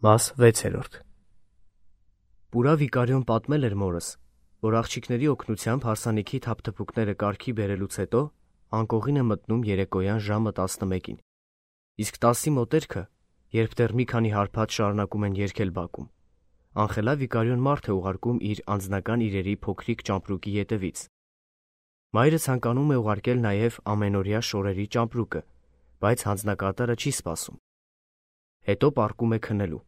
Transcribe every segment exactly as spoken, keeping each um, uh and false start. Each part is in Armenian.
Մաս վեցերորդ Պուրա Վիկարիոն պատմել էր մորս, որ աղջիկների օգնությամբ հարսանիքի թափթփուկները կարգի բերելուց հետո անկողին է մտնում երեկոյան ժամը տասնմեկին, իսկ տասի մոտերքը, երբ դեռ մի քանի հարբած շարունակում են երգել բակում, Անխելա Վիկարիոն մարդ է ուղարկում իր անձնական իրերի փոքրիկ ճամպրուկի ետևից։ Մայրը ցանկանում է ուղարկել նաև ամենօրյա շորերի ճամպրուկը, բայց հանձնակատարը չի սպասում։ Հետո պառկում է քնելու։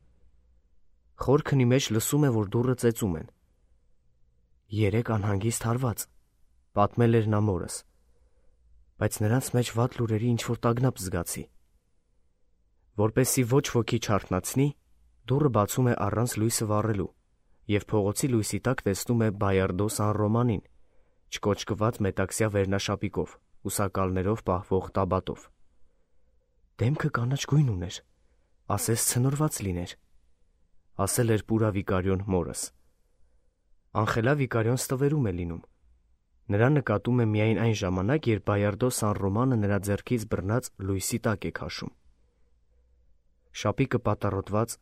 Խոր քնի մեջ լսում է, որ դուռը ծեծում են։ Երեք անհանգիստ հարված, պատմել էր նա մորս, բայց նրանց մեջ վատ լուրերի ինչ-որ տագնապ զգացի։ Որպեսզի ոչ ոքի չարթնացնի, դուռը բացում է առանց լույսը վառելու, և փողոցի լույսի տակ տեսնում է Բայարդո Սան Ռոմանին, չկոճկված մետաքսյա վերնաշապիկով, ուսակալներով պահվող տաբատով։ Դեմքը կանաչ գույն ուներ, ասես ցնորված լիներ, ասել էր Պուրա Վիկարիոն մորս։ Անխելա Վիկարիոն ստվերում է լինում։ Նրան նկատում է միայն այն ժամանակ, երբ Բայարդո Սան Ռոմանը նրա ձեռքից բռնած լույսի տակ է քաշում։ Շապիկը պատառոտված,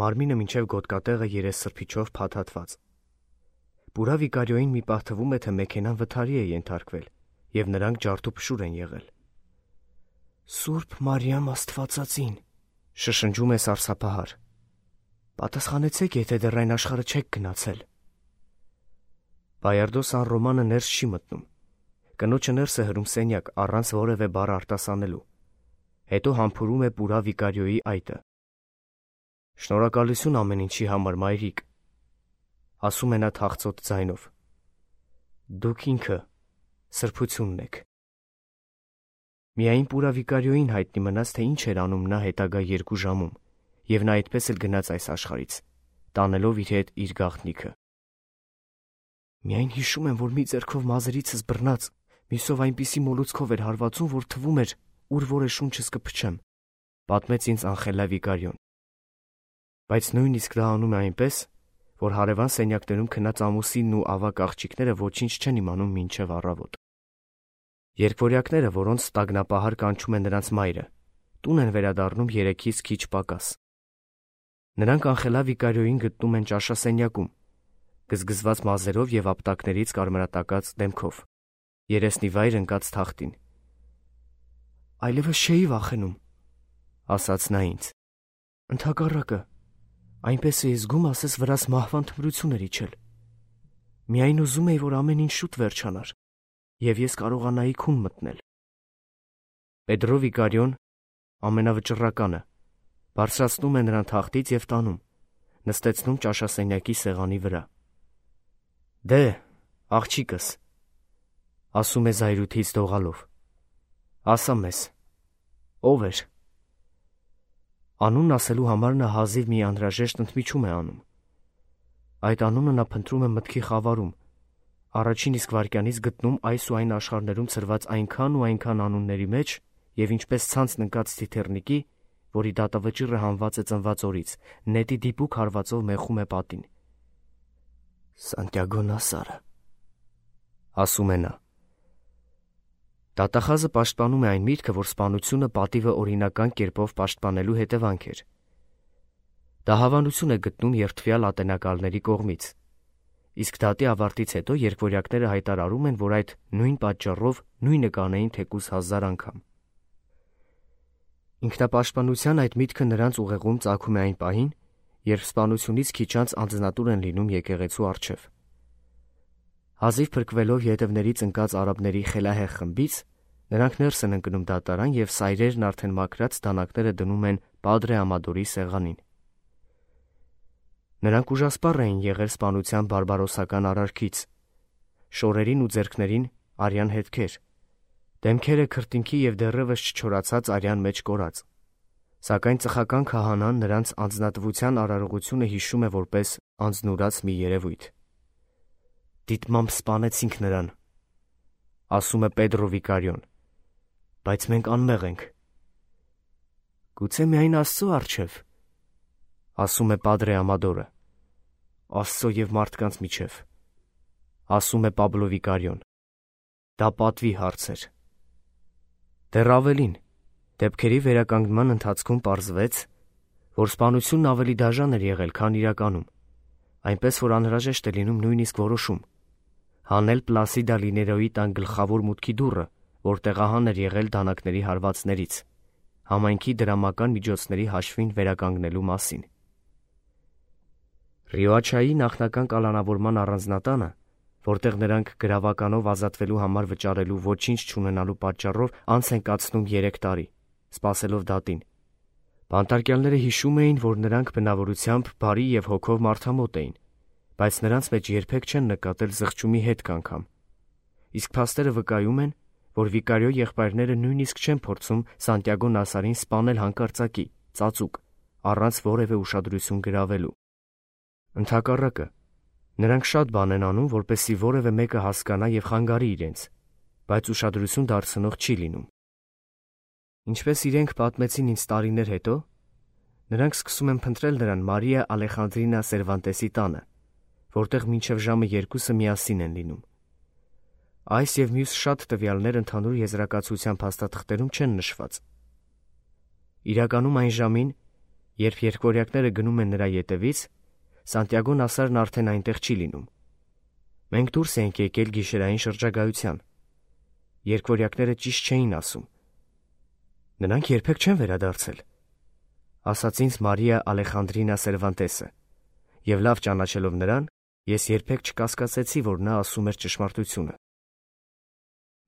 մարմինը մինչև գոտկատեղը երեսսրբիչով փաթաթված։ Պուրա Վիկարիոյին մի պահ թվում է, թե մեքենան վթարի է ենթարկվել, և նրանք ջարդուփշուր են եղել։ Սուրբ Մարիամ Աստվածածին, շշնջում է սարսափահար։ Պատասխանեցեք, եթե դեռ այն աշխարհը չեք գնացել։ Բայարդո Սան Ռոմանը ներս չի մտնում։ Կնոջը ներս է հրում սենյակ, առանց որևէ բառ արտասանելու։ Հետո համբուրում է Պուրա Վիկարիոյի այտը։ Շնորհակալություն ամեն ինչի համար, մայրիկ, ասում է նա թախծոտ ձայնով։ Դուք ինքը սրբությունն եք։ Միայն Պուրա Վիկարիոյին հայտնի մնաց, թե ինչ էր անում նա հետագա երկու ժամում, և նա այդպես էլ գնաց այս աշխարհից, տանելով իր հետ իր գաղտնիքը։ Միայն հիշում եմ, որ մի ձեռքով մազերիցս բռնած, մյուսով այնպիսի մոլուցքով էր հարվածում, որ թվում էր, ուր որ է շունչս կփչեմ, պատմեց ինձ Անխելա Վիկարիոն։ Բայց նույնիսկ դա անում է այնպես, որ հարևան սենյակներում քնած ամուսինն ու ավագ աղջիկները ոչինչ չեն իմանում մինչև առավոտ։ Երկվորյակները, որոնց տագնապահար կանչում է նրանց մայրը, տուն են վերադառնում երեքից քիչ պակաս։ Նրանք Անխելա Վիկարիոյին գտնում են ճաշասենյակում, գզգզված մազերով և ապտակներից կարմրատակած դեմքով, երեսնի վայր ընկած թախտին։ Այլևս չէի վախենում, ասաց նա ինձ։ Ընդհակառակը, այնպես էի զգում, ասես վրաս մահվան թմրություն էր իջել։ Միայն ուզում էի, որ ամեն ինչ շուտ վերջանար, և ես կարողանայի քուն մտնել։ Պետրո Վիկարիոն, ամենավճռականը, բարձրացնում է նրան թախտից և տանում, նստեցնում ճաշասենյակի սեղանի վրա։ Դե, աղջիկս, ասում է զայրույթից դողալով, ասա մեզ, ով էր։ Անունն ասելու համար նա հազիվ մի անհրաժեշտ ընդմիջում է անում։ Այդ անունը նա փնտրում է մտքի խավարում, առաջին իսկ վայրկյանից գտնում այս ու այն աշխարհներում ցրված այնքան ու այնքան անունների մեջ, և ինչպես ցանցն ընկած թիթեռնիկի, որի դատավճիռը հանված է ծնված օրից, նետի դիպուկ հարվածով մեխում է պատին։ Սանտիագո Նասարը, ասում է նա։ Դատախազը պաշտպանում է այն միտքը, որ սպանությունը պատիվը օրինական կերպով պաշտպանելու հետևանք էր։ Դա հավանություն է գտնում երդվյալ ատենակալների կողմից, իսկ դատի ավարտից հետո երկվորյակները հայտարարում են, որ այդ նույն պատճառով նույնը կանեին թեկուզ հազար անգամ։ Ինքնապաշտպանության այդ միտքը նրանց ուղեղում ծագում է այն պահին, երբ սպանությունից քիչ անց անձնատուր են լինում եկեղեցու առջև։ Հազիվ փրկվելով ետևներից ընկած արաբների խելահեղ խմբից, նրանք ներս են ընկնում դատարան և սայրերն արդեն մաքրած դանակները դնում են Պադրե Ամադորի սեղանին։ Նրանք ուժասպառ էին եղել սպանության բարբարոսական արարքից, շորերին ու ձեռքներին արյան հետքեր, դեմքերը քրտինքի և դեռևս չչորացած արյան մեջ կորած, սակայն ծխական քահանան նրանց անձնատվության արարողությունը հիշում է որպես անձնուրաց մի երևույթ։ Դիտմամբ սպանեցինք նրան, ասում է Պետրո Վիկարիոն, բայց մենք անմեղ ենք։ Գուցե միայն Աստծո առջև, ասում է Պադրե Ամադորը, Աստծո և մարդկանց միջև, ասում է Պաբլո Վիկարիոն, դա պատվի հարց էր։ Դեռ ավելին, դեպքերի վերականգնման ընթացքում պարզվեց, որ սպանությունն ավելի դաժան էր եղել, քան իրականում, այնպես որ անհրաժեշտ է լինում նույնիսկ որոշում, հանել Պլասիդա Լիներոյի տան գլխավոր մուտքի դուռը, որ տեղահան էր եղել դանակների հարվածներից, համայնքի դրամական միջոցների հաշվին վերականգնելու մասին։ Ռիոաչայի նախնական կալանավորման առանձնատանը, որտեղ նրանք գրավականով ազատվելու համար վճարելու ոչինչ չունենալու պատճառով անց են կացնում երեք տարի, սպասելով դատին։ Բանտարկյալները հիշում էին, որ նրանք բնավորությամբ բարի և հոգով մարդամոտ էին, բայց նրանց մեջ երբեք չեն նկատել զղջումի հետք անգամ։ Իսկ փաստերը վկայում են, որ Վիկարիո եղբայրները նույնիսկ չեն փորձում Սանտիագո Նասարին սպանել հանկարծակի, ծածուկ, առանց որևէ ուշադրություն գրավելու։ Ընդհակառակը, նրանք շատ բան են անում, որպեսզի որևէ մեկը հասկանա և խանգարի իրենց, բայց ուշադրություն դարձնող չի լինում։ Ինչպես իրենք պատմեցին ինձ տարիներ հետո, նրանք սկսում են փնտրել նրան Մարիա Ալեխանդրինա Սերվանտեսի տանը, որտեղ մինչև ժամը երկուսը միասին են լինում։ Այս և մյուս շատ տվյալներ ընդհանուր եզրակացության փաստաթղթերում չեն նշված։ Իրականում այն ժամին, երբ երկվորյակները գնում են նրա ետևից, Սանտիագո Նասարն արդեն այնտեղ չի լինում։ Մենք դուրս ենք եկել գիշերային շրջագայության։ Երկվորյակները ճիշտ չէին ասում։ Նրանք երբեք չեն վերադարձել, ասաց ինձ Մարիա Ալեխանդրինա Սերվանտեսը, և լավ ճանաչելով նրան, ես երբեք չկասկածեցի, որ նա ասում էր ճշմարտությունը։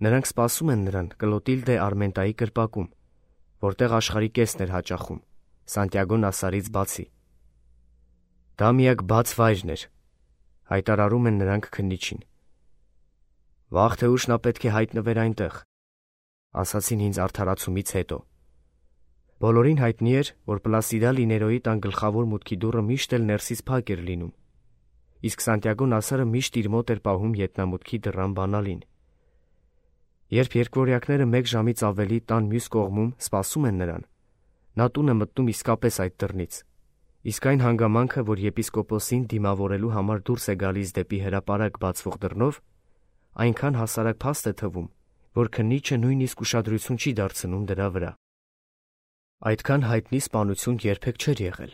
Նրանք սպասում են նրան Կլոտիլդե Արմենտայի կրպակում, որտեղ աշխարհի կեսն էր հաճախում, Սանտիագո Նասարից բացի։ Դա միակ բաց վայրն էր, հայտարարում են նրանք քննիչին։ Վաղ թե ուշ նա պետք է հայտնվեր այնտեղ, ասացին ինձ արդարացումից հետո։ Բոլորին հայտնի էր, որ Պլասիդա Լիներոյի տան գլխավոր մուտքի դուռը միշտ էլ ներսից փակ էր լինում, իսկ Սանտիագո Նասարը միշտ իր մոտ էր պահում ետնամուտքի դռան բանալին։ Երբ երկվորյակները մեկ ժամից ավելի տան մյուս կողմում սպասում են նրան, նա տուն է մտնում իսկապես այդ դռնից, իսկ այն հանգամանքը, որ եպիսկոպոսին դիմավորելու համար դուրս է գալիս դեպի հրապարակ բացվող դռնով, այնքան հասարակ փաստ է թվում, որ քննիչը նույնիսկ ուշադրություն չի դարձնում դրա վրա։ Այդքան հայտնի սպանություն երբեք չէր եղել։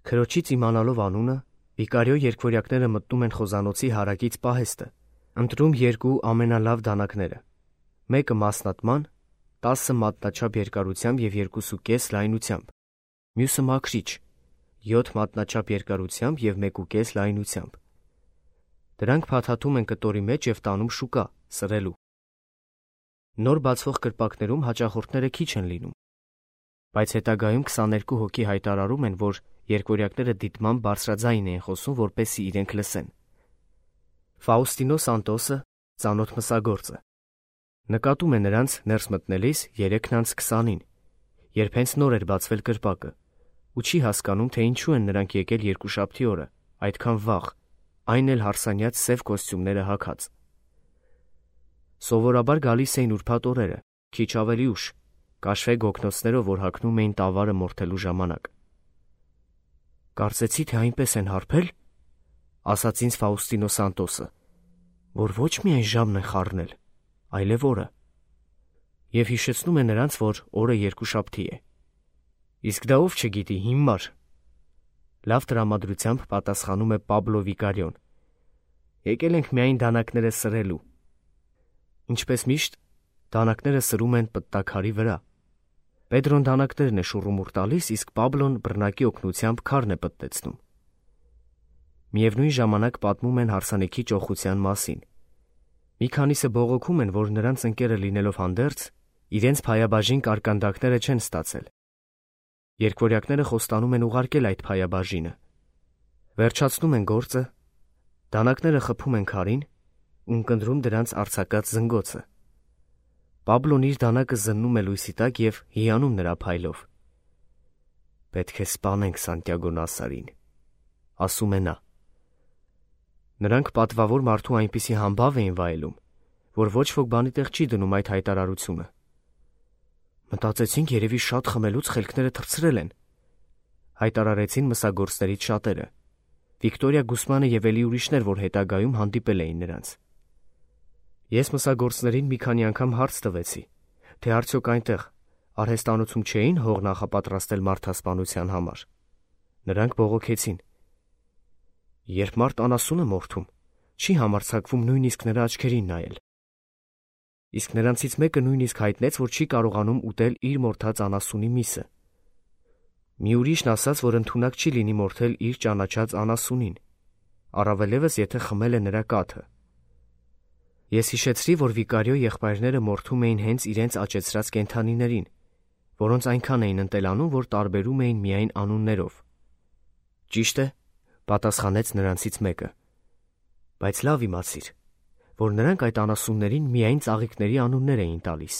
Քրոջից իմանալով անունը, Վիկարիո երկվորյակները մտնում են խոզանոցի հարակից պահեստը, ընտրում երկու ամենալավ դանակները, մեկը մասնատման, տասը մատնաչափ երկարությամբ և երկուսուկես լայնությամբ, մյուսը մաքրիչ, յոթ մատնաչափ երկարությամբ և մեկուկես լայնությամբ։ Դրանք փաթաթում են կտորի մեջ և տանում շուկա, սրելու։ Նոր բացվող կրպակներում հաճախորդները քիչ են լինում, բայց հետագայում քսաներկու հոգի հայտարարում են, որ երկվորյակները դիտմամբ բարձրաձայն էին խոսում, որպեսզի իրենք լսեն։ Ֆաուստինո Սանտոսը, ծանոթ մսագործը, նկատում է նրանց ներս մտնելիս երեքն անց քսանին, երբ հենց նոր էր բացվել կրպակը, ու չի հասկանում, թե ինչու են նրանք եկել երկուշաբթի օրը, այդքան վաղ, այն էլ հարսանյաց սև կոստյումները հագած։ Սովորաբար գալիս էին ուրբաթ օրերը, քիչ ավելի ուշ, կաշվե գոգնոցներով, որ հագնում էին տավարը մորթելու ժամանակ։ Կարծեցի, թե այնպես են հարբել, ասաց ինձ Ֆաուստինո Սանտոսը, որ ոչ միայն ժամն են խառնել, այլև օրը, և հիշեցնում է նրանց, որ օրը երկուշաբթի է։ Իսկ դա ով չգիտի, հիմար։ Լավ տրամադրությամբ պատասխանում է Պաբլո Վիկարիոն։ Եկել ենք միայն դանակները սրելու։ Ինչպես միշտ, դանակները սրում են պտտաքարի վրա։ Պետրոն դանակներն է շուռումուռ տալիս, իսկ Պաբլոն բռնակի օգնությամբ քարն է պտտեցնում։ Միևնույն ժամանակ պատմում են հարսանիքի ճոխության մասին։ Մի քանիսը բողոքում են, որ նրանց ընկերը լինելով հանդերձ, իրենց փայաբաժին կարկանդակները չեն ստացել։ Երկվորյակները խոստանում են ուղարկել այդ փայաբաժինը։ Վերջացնում են գործը, դանակները խփում են քարին ու ընկնդրում դրանց արձակած զնգոցը։ Պաբլոն իր դանակը զննում է լույսի տակ և հիանում նրա փայլով։ Պետք է սպանենք Սանտիագո Նասարին, ասում է նա։ Նրանք պատվավոր մարդու այնպիսի համբավ էին վայելում, որ ոչ ոք բանի տեղ չի դնում այդ հայտարարությունը։ Մտածեցինք, երևի շատ խմելուց խելքները թռցրել են, հայտարարեցին մսագործներից շատերը։ Վիկտորիա Գուսմանը և էլի ուրիշներ, որ հետագայում հանդիպել էին նրանց։ Ես մսագործներին մի քանի անգամ հարց տվեցի, թե արդյոք այնտեղ, Արհեստանոցում չէին հող նախապատրաստել մարդասպանության համար։ Նրանք բողոքեցին. երբ մարդ անասուն է մորթում, չի համարձակվում նույնիսկ նրա աչքերին նայել։ Իսկ նրանցից մեկը նույնիսկ հայտնեց, որ չի կարողանում ուտել իր մորթած անասունի միսը։ Մի ուրիշն ասաց, որ ընդունակ չի լինի մորթել իր ճանաչած անասունին, առավելևս եթե խմել է նրա կաթը։ Ես հիշեցրի, որ Վիկարիո եղբայրները մորթում էին հենց իրենց աճեցրած կենդանիներին, որոնց այնքան էին ընտելանում, որ տարբերում էին միայն անուններով։ Ճիշտ է, պատասխանեց նրանցից մեկը, բայց լավ իմացիր, որ նրանք այդ անասուններին միայն ծաղիկների անուններ էին տալիս։